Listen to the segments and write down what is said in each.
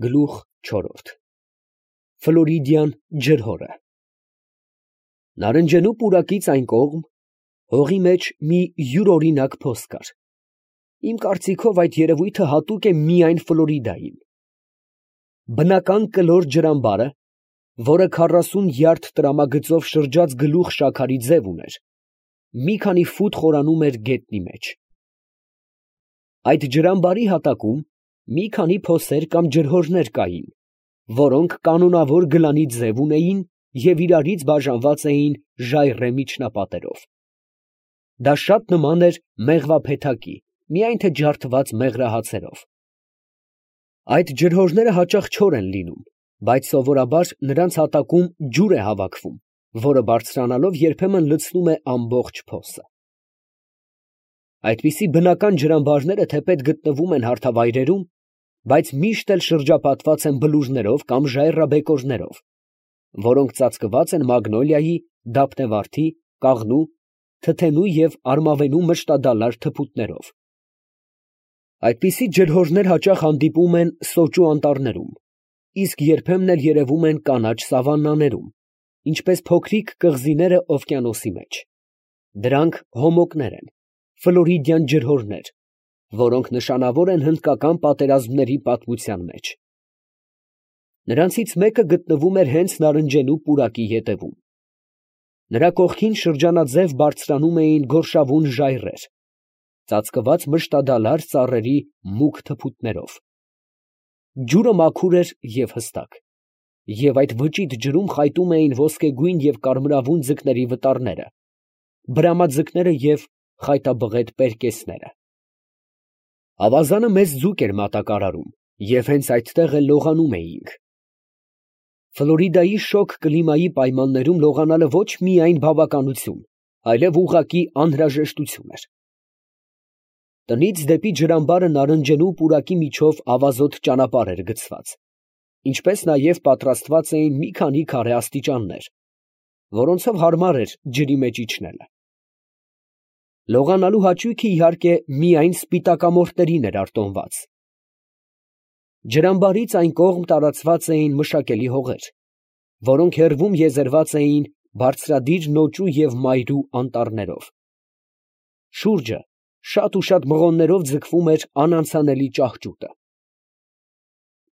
Գլուխ չորրորդ Ֆլորիդյան ջրհորը Նարնջենու պուրակից այն կողմ հողի մեջ մի յուրօրինակ փոս կար. իմ կարծիքով այդ երևույթը հատուկ է միայն Ֆլորիդային. բնական կլոր ջրամբարը, որը 40 յարդ տրամագծով շրջած գլուխ շաքարի ձև ուներ, մի քանի ֆուտ խորանում էր գետնի մեջ. այդ ջրամբարի հատակում մի քանի փոսեր կամ ջրհորներ կային, որոնք կանոնավոր գլանի ձև ունեին և իրարից բաժանված էին ժայռե միջնապատերով. դա շատ նման էր մեղվափեթակի, միայն թե ջարդված մեղրահացերով. այդ ջրհորները հաճախ չոր են լինում, բայց սովորաբար նրանց հատակում ջուր է հավաքվում, որը բարձրանալով երբեմն լցնում է ամբողջ փոսը. այդպիսի բնական ջրամբարները թեպետ գտնվում են հարթավայրերում, բայց միշտ էլ շրջապատված են բլուրներով կամ ժայռաբեկորներով, որոնք ծածկված են մագնոլիայի, դափնեվարդի, կաղնու, թթենու և արմավենու մշտադալար թփուտներով. այդպիսի ջրհորներ հաճախ հանդիպում են սոճու անտառներում, իսկ երբեմն էլ երևում են կանաչ սավաննաներում, ինչպես փոքրիկ կղզիները օվկիանոսի մեջ. դրանք հոմոկներ են, ֆլորիդյան ջրհորներ, որոնք նշանավոր են հնդկական պատերազմների պատմության մեջ. նրանցից մեկը գտնվում էր հենց Նարնջենու պուրակի ետևում. նրա կողքին շրջանաձև բարձրանում էին գորշավուն ժայռեր, ծածկված մշտադալար ծառերի մուգ թփուտներով. ջուրը մաքուր էր և հստակ, և այդ վճիտ ջրում խայտում էին ոսկեգույն և կարմրավուն ձկների վտարները, բրամաձկները և խայտաբղետ պերկեսները. ավազանը մեզ ձուկ էր մատակարարում, և հենց այդտեղ էլ լողանում էինք. Ֆլորիդայի շոգ կլիմայի պայմաններում լողանալը ոչ միայն բավականություն, այլև ուղղակի անհրաժեշտություն էր. տնից դեպի ջրամբարը Նարնջենու պուրակի միջով ավազոտ ճանապարհ էր գծված, ինչպես նաև պատրաստված էին մի քանի քարե աստիճաններ, որոնցով հարմար էր ջրի մեջ իջնելը. լողանալու հաճույքը, իհարկե, միայն սպիտակամորթներին էր արտոնված. ջրամբարից այն կողմ տարածված էին մշակելի հողեր, որոնք հեռվում եզերված էին բարձրադիր նոճու և մայրու անտառներով. շուրջը շատ ու շատ մղոններով ձգվում էր անանցանելի ճահճուտը.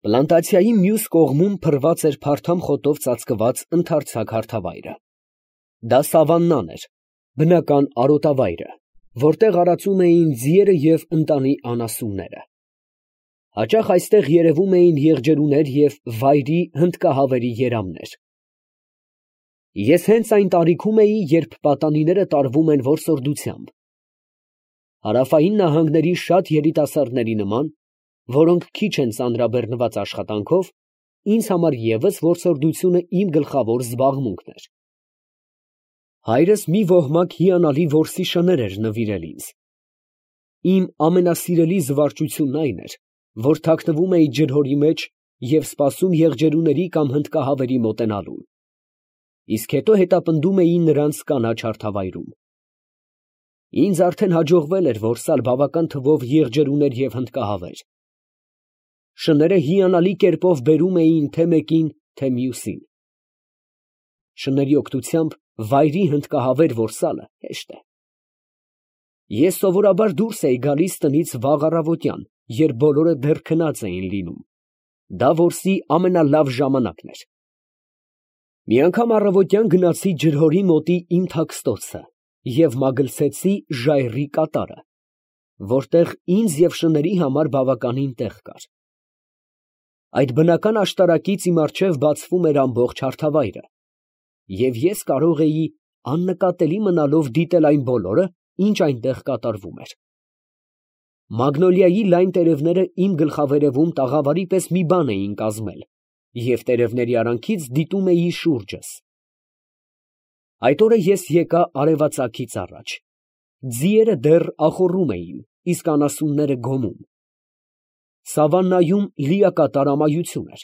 պլանտացիայի մյուս կողմում փռված էր փարթամ խոտով ծածկված ընդարձակ հարթավայրը. դա սավաննան էր, բնական արոտավայրը, որտեղ արածում էին ձիերը և ընտանի անասունները. հաճախ այստեղ երևում էին եղջերուներ և վայրի հնդկահավերի երամներ. ես հենց այն տարիքում էի, երբ պատանիները տարվում են որսորդությամբ. հարավային նահանգների շատ երիտասարդների նման, որոնք քիչ են ծանրաբեռնված աշխատանքով, ինձ համար ևս որսորդությունը իմ գլխավոր զբաղմունքն էր. հայրս մի ոհմակ հիանալի որսի շներ էր նվիրել ինձ. իմ ամենասիրելի զվարճությունն այն էր, որ թաքնվում էի ջրհորի մեջ և սպասում եղջերուների կամ հնդկահավերի մոտենալուն, իսկ հետո հետապնդում էի նրանց կանաչ հարթավայրում. ինձ արդեն հաջողվել էր որսալ բավական թվով եղջերուներ և հնդկահավեր. շները հիանալի կերպով բերում էին թե մեկին, թե մյուսին. շների օգնությամբ վայրի հնդկահավեր որսալը հեշտ է. ես սովորաբար դուրս էի գալիս տնից վաղ առավոտյան, երբ բոլորը դեռ քնած էին լինում. դա որսի ամենալավ ժամանակն էր. մի անգամ առավոտյան գնացի ջրհորի մոտի իմ թաքստոցը և մագլցեցի ժայռի կատարը, որտեղ ինձ և շների համար բավականին տեղ կար. այդ բնական աշտարակից իմ առջև բացվում էր ամբողջ հարթավայրը, և ես կարող էի աննկատելի մնալով դիտել այն բոլորը, ինչ այնտեղ կատարվում էր. մագնոլիայի լայն տերևները իմ գլխավերևում տաղավարի պես մի բան էին կազմել, և տերևների արանքից դիտում էի շուրջս. այդ օրը ես եկա արևածագից առաջ. ձիերը դեռ ախոռում էին, իսկ անասունները գոմում. սավաննայում լիակատար ամայություն էր.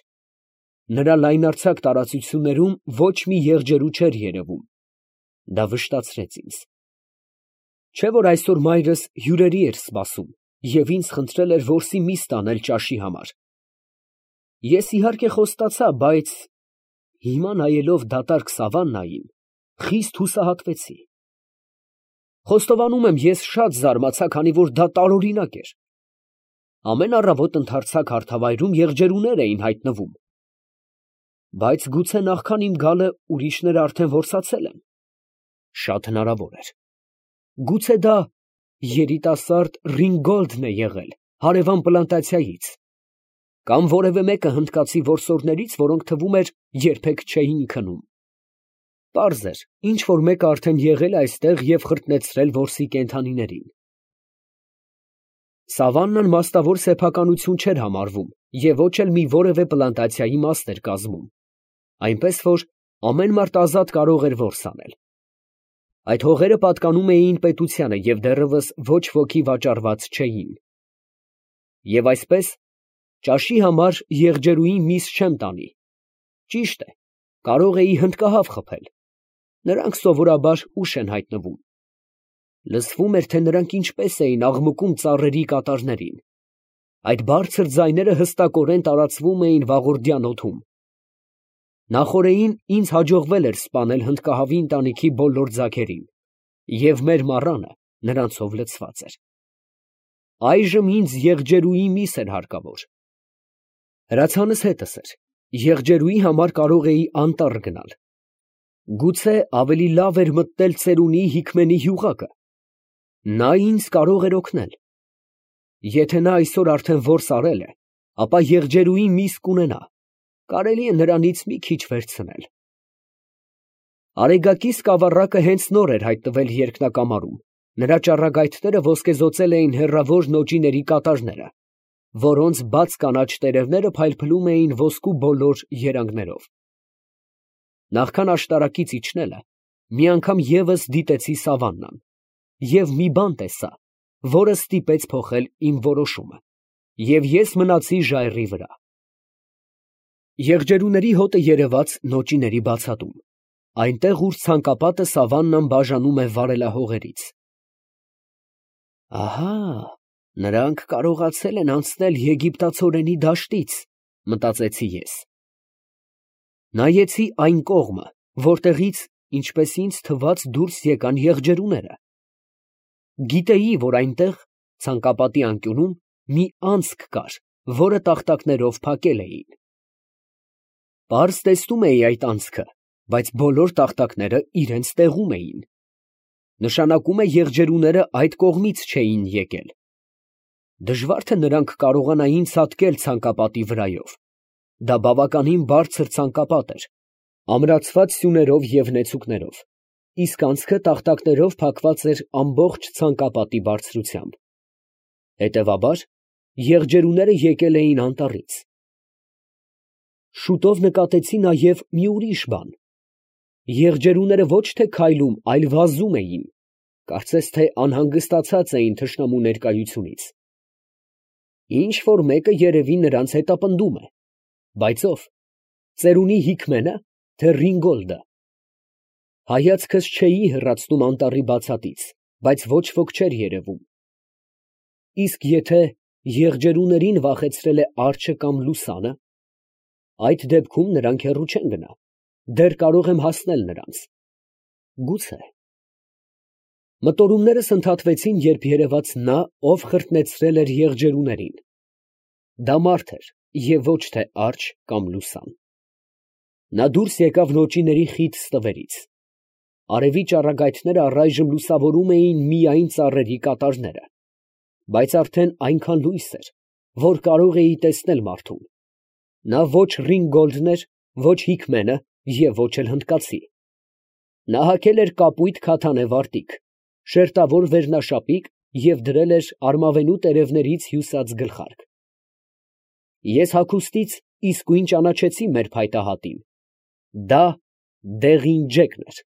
նրա լայնարձակ տարածություններում ոչ մի եղջերու չէր երևում. դա վշտացրեց ինձ. չէ՞ որ այսօր մայրս հյուրերի էր սպասում և ինձ խնդրել էր որսի միս տանել ճաշի համար. Ես իհարկե խոստացա, բայց հիմա նայելով դատարկ սավաննային, խիստ հուսահատվեցի։ Խոստովանում եմ, ես շատ զարմացա, քանի որ դա տարօրինակ էր։ Ամեն առավոտ ընդարձակ հարթավայրում եղջերուներ էին հայտնվում։ Բայց գուցե նախքան իմ գալը ուրիշները արդեն որսացել են։ Շատ հնարավոր էր։ Գուցե դա երիտասարդ Ռինգոլդն է եղել հարևան պլանտացիայից, կամ որևէ մեկը հնդկացի որսորդներից, որոնք թվում էր երբեք չէին քնում։ Պարզ էր, ինչ որ մեկը արդեն եղել է այստեղ և խրտնեցրել որսի կենդանիներին։ Սավաննան մասնավոր սեփականություն չէր համարվում և ոչ էլ մի որևէ պլանտացիայի մասն էր կազմում, այնպես որ ամեն մարդ ազատ կարող էր որս անել։ Այդ հողերը պատկանում էին պետությանը և դեռևս ոչ ոքի վաճառված չէին։ Եվ այսպես, ճաշի համար եղջերուի միս չեմ տանի։ Ճիշտ է, կարող էի հնդկահավ խփել։ Նրանք սովորաբար ուշ են հայտնվում։ Լսվում էր, թե նրանք ինչպես էին աղմկում ծառերի կատարներին։ Այդ բարձր ձայները հստակորեն տարածվում էին վաղորդյան օդում։ Նախօրեին ինձ հաջողվել էր սպանել հնդկահավի ընտանիքի բոլոր ձագերին, և մեր մառանը նրանցով լցված էր։ Այժմ ինձ եղջերուի միս էր հարկավոր։ Հրացանս հետս էր, եղջերուի համար կարող էի անտառ գնալ։ Գուցե ավելի լավ էր մտնել ծերունի Հիկմենի հյուղակը։ Նա ինձ կարող էր օգնել։ Եթե նա այսօր արդեն որս արել է, ապա եղջերուի միս կունենա, կարելի է նրանից մի քիչ վերցնել։ Արեգակի սկավառակը հենց նոր էր հայտնվել երկնակամարում, նրա ճառագայթները ոսկեզօծել էին հեռավոր նոճիների կատարները, որոնց բաց կանաչ տերևները փայլփլում էին ոսկու բոլոր երանգներով։ Նախքան աշտարակից իջնելը, մի անգամ ևս դիտեցի սավաննան և մի բան տեսա, որը ստիպեց փոխել իմ որոշումը, և ես մնացի ժայռի վրա։ Եղջերուների հոտը երևաց նոճիների բացատում, այնտեղ, ուր ցանկապատը սավաննան բաժանում է վարելահողերից։ Ահա, նրանք կարողացել են անցնել եգիպտացորենի դաշտից, մտածեցի ես։ Նայեցի այն կողմը, որտեղից, ինչպես ինձ թվաց, դուրս եկան եղջերուները։ Գիտեի, որ այնտեղ, ցանկապատի անկյունում, մի անցք կար, որը տախտակներով փակել էին։ Պարզ տեսնում էի այդ անցքը, բայց բոլոր տախտակները իրենց տեղում էին։ Նշանակում է եղջերուները այդ կողմից չէին եկել։ Դժվար թե նրանք կարողանային ցատկել ցանկապատի վրայով։ Դա բավականին բարձր ցանկապատ էր, ամրացված սյուներով և նեցուկներով, իսկ անցքը տախտակներով փակված էր ամբողջ ցանկապատի բարձրությամբ։ Հետևաբար, եղջերուները եկել էին անտառից։ Շուտով նկատեցի նաև մի ուրիշ բան. եղջերուները ոչ թե քայլում, այլ վազում էին, կարծես թե անհանգստացած էին թշնամու ներկայությունից։ Ինչ֊որ մեկը երևի նրանց հետապնդում է, բայց ո՞վ, ծերունի Հիկմենը, թե Ռինգոլդը։ Հայացքս չէի հեռացնում անտառի բացատից, բայց ոչ ոք չէր երևում։ Իսկ եթե եղջերուներին վախեցրել է արջը կամ լուսանը, այդ դեպքում նրանք հեռու չեն գնա, դեռ կարող եմ հասնել նրանց։ Գուցե։ Մտորումներս ընդհատվեցին, երբ երևաց նա, ով խրտնեցրել էր եղջերուներին։ Դա մարդ էր և ոչ թե արջ կամ լուսան։ Նա դուրս եկավ նոճիների խիտ ստվերից։ Արևի ճառագայթները առայժմ լուսավորում էին միայն ծառերի կատարները, բայց արդեն այնքան լույս էր, որ կարող էի տեսնել մարդուն։ Նա ոչ Ռինգոլդն էր, ոչ Հիկմենը և ոչ էլ հնդկացի։ Նա հագել էր կապույտ քաթանե վարտիք, շերտավոր վերնաշապիկ և դրել էր արմավենու տերևներից հյուսած գլխարկ։ Ես հագուստից իսկույն ճանաչեցի մեր փայտահատին։ Դա Դեղին Ջեկն էր։